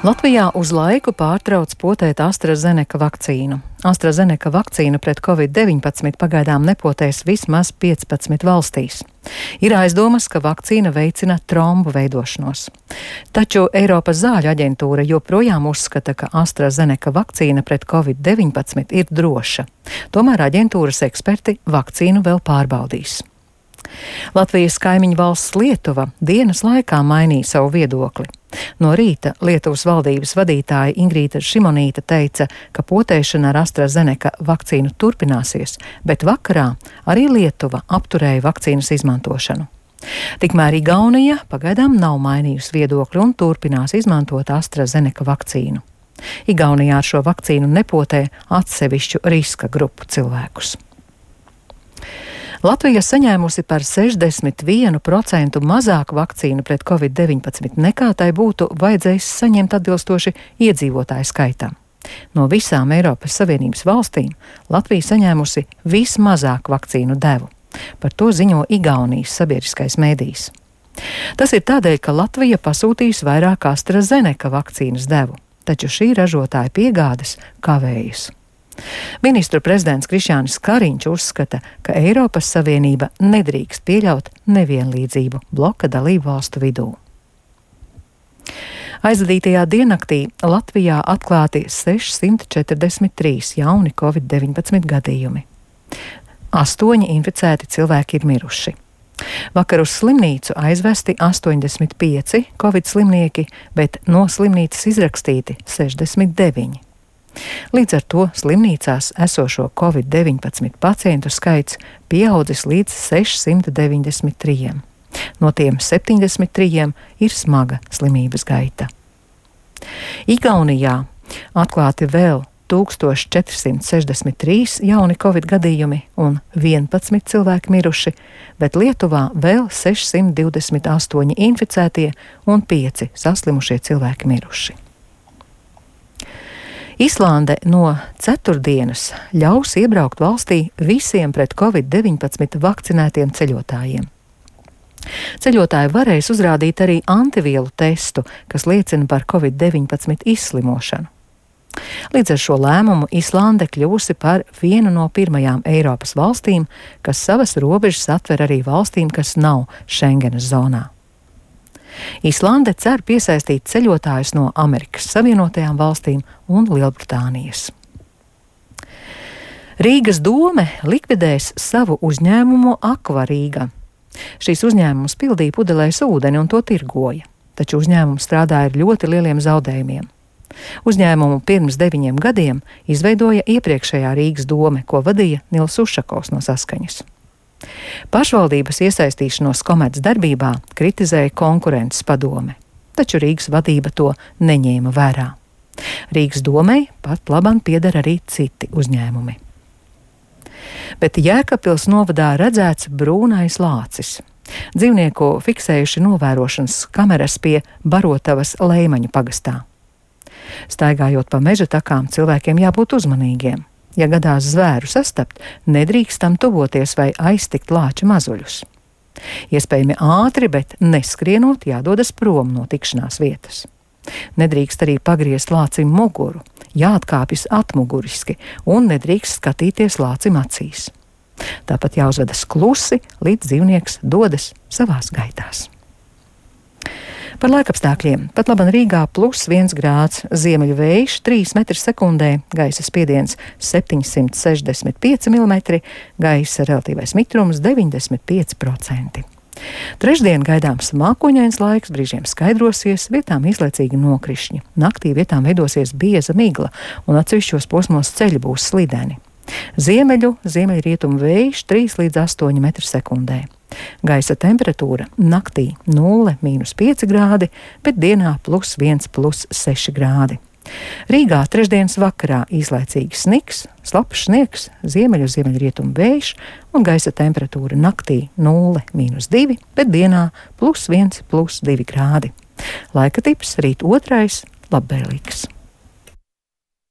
Latvijā uz laiku pārtrauc potēt AstraZeneca vakcīnu. AstraZeneca vakcīnu pret Covid-19 pagaidām nepotēs vismaz 15 valstīs. Ir aizdomas, ka vakcīna veicina trombu veidošanos. Taču Eiropas zāļu aģentūra joprojām uzskata, ka AstraZeneca vakcīna pret Covid-19 ir droša. Tomēr aģentūras eksperti vakcīnu vēl pārbaudīs. Latvijas kaimiņu valsts Lietuva dienas laikā mainīja savu viedokli. No rīta Lietuvas valdības vadītāja Ingrīda Šimonīte teica, ka potēšana ar AstraZeneca vakcīnu turpināsies, bet vakarā arī Lietuva apturēja vakcīnas izmantošanu. Tikmēr Igaunija pagaidām nav mainījusi viedokli un turpinās izmantot AstraZeneca vakcīnu. Igaunijā ar šo vakcīnu nepotē atsevišķu riska grupu cilvēkus. Latvija saņēmusi par 61% mazāk vakcīnu pret Covid-19 nekā tai būtu vajadzējis saņemt atbilstoši iedzīvotāju skaitam. No visām Eiropas Savienības valstīm Latvija saņēmusi vismazāk vakcīnu devu. Par to ziņo Igaunijas sabiedriskais mēdījis. Tas ir tādēļ, ka Latvija pasūtījis vairāk AstraZeneca vakcīnas devu, taču šī ražotāja piegādes kavējas. Ministru prezidents Krišjānis Kariņš uzskata, ka Eiropas Savienība nedrīkst pieļaut nevienlīdzību bloka dalību valstu vidū. Aizvadītajā diennaktī Latvijā atklāti 643 jauni Covid-19 gadījumi. 8 inficēti cilvēki ir miruši. Vakar uz slimnīcu aizvesti 85 Covid slimnieki, bet no slimnīcas izrakstīti 69. Līdz ar to slimnīcās esošo Covid-19 pacientu skaits pieaudzis līdz 693. No tiem 73 ir smaga slimības gaita. Igaunijā atklāti vēl 1463 jauni Covid gadījumi un 11 cilvēki miruši, bet Lietuvā vēl 628 inficētie un 5 saslimušie cilvēki miruši. Islande no ceturtdienas ļaus iebraukt valstī visiem pret Covid-19 vakcinētiem ceļotājiem. Ceļotāji varēs uzrādīt arī antivielu testu, kas liecina par Covid-19 izslimošanu. Līdz ar šo lēmumu Islande kļūsi par vienu no pirmajām Eiropas valstīm, kas savas robežas atver arī valstīm, kas nav Schengenas zonā. Islande cer piesaistīt ceļotājus no Amerikas Savienotajām valstīm un Lielbritānijas. Rīgas dome likvidēs savu uzņēmumu Akvarīga. Šīs uzņēmums pildīja pudelēs ūdeni un to tirgoja, taču uzņēmums strādāja ar ļoti lieliem zaudējumiem. Uzņēmumu pirms 9 gadiem izveidoja iepriekšējā Rīgas dome, ko vadīja Nils Ušakovs no Saskaņas. Pašvaldības iesaistīšanos komercdarbībā kritizēja konkurences padome, taču Rīgas vadība to neņēma vērā. Rīgas domei pat labam pieder arī citi uzņēmumi. Bet Jēkabpils novadā redzēts brūnais lācis. Dzīvnieku fiksējuši novērošanas kameras pie Barotavas Leimaņu pagastā. Staigājot pa meža takām, cilvēkiem jābūt uzmanīgiem. Ja gadās zvēru sastapt, nedrīkstam tuvoties vai aiztikt lāča mazuļus. Iespējami ātri, bet neskrienot jādodas prom no tikšanās vietas. Nedrīkst arī pagriezt lācim muguru, jāatkāpjas atmuguriski un nedrīkst skatīties lācim acīs. Tāpat jāuzvedas klusi, līdz dzīvnieks dodas savās gaitās. Par laikapstākļiem. Pat laban Rīgā +1 grāds, ziemeļu vējš 3 m/sekundē, gaisa spiediens 765 mm, gaisa relatīvais mitrums 95%. Trešdien gaidāms mākoņains laiks, brīžiem skaidrosies, vietām īslaicīgi nokrišņi. Naktī vietām veidosies bieza migla un atsevišķos posmos ceļi būs slideni. Ziemeļrietumu vējš 3 līdz 8 m/sekundē. Gaisa temperatūra naktī 0–5 grādi, bet dienā +1, +6 grādi. Rīgā trešdienas vakarā īslaicīgi sniks, slapjš sniegs, ziemeļrietumu vējš un gaisa temperatūra naktī 0–2, bet dienā +1, +2 grādi. Laika tips rīt 2. labvēlīgs.